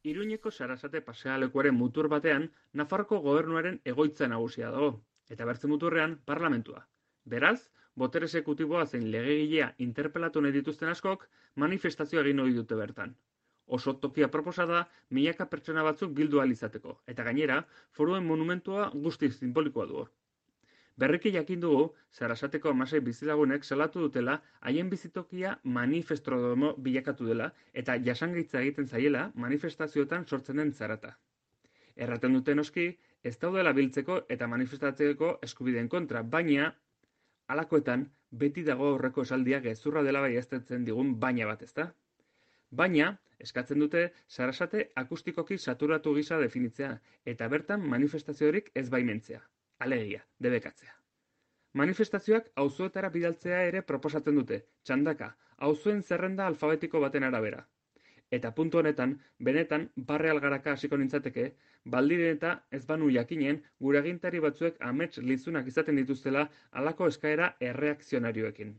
Iruñeko Sarasate pasealekuaren mutur batean, Nafarroko gobernuaren egoitza nagusia dago, eta bertze muturrean parlamentua. Beraz, botere exekutiboa zein legegilea interpelatu nahi dituzten askok, manifestazioa egin ohi dute bertan. Oso tokia proposa da, milaka pertsona batzuk bildu ahal izateko, eta gainera, foruen monumentua guztiz sinbolikoa du hor. Berriki jakin dugu, Sarasateko 16 bizilagunek salatu dutela haien bizitokia manifestrodomo bilakatu dela eta jasangaitza egiten zaiela manifestazioetan sortzen den zarata. Erraten dute noski, ez daudela biltzeko eta manifestatzeko eskubideen kontra, baina halakoetan beti dago aurreko esaldia gezurra dela baieztatzen digun baina bat, ezta? Baina, eskatzen dute Sarasate akustikoki saturatu gisa definitzea eta bertan manifestaziorik ez baimentzea. Alegia, debekatzea. Manifestazioak auzoetara bidaltzea ere proposatzen dute, txandaka, auzoen zerrenda alfabetiko baten arabera. Eta puntu honetan, benetan, barre algaraka hasiko nintzateke, baldiren eta ez banu jakinen, gure agintari batzuek amets lizunak izaten dituztela halako eskaera erreakzionarioekin.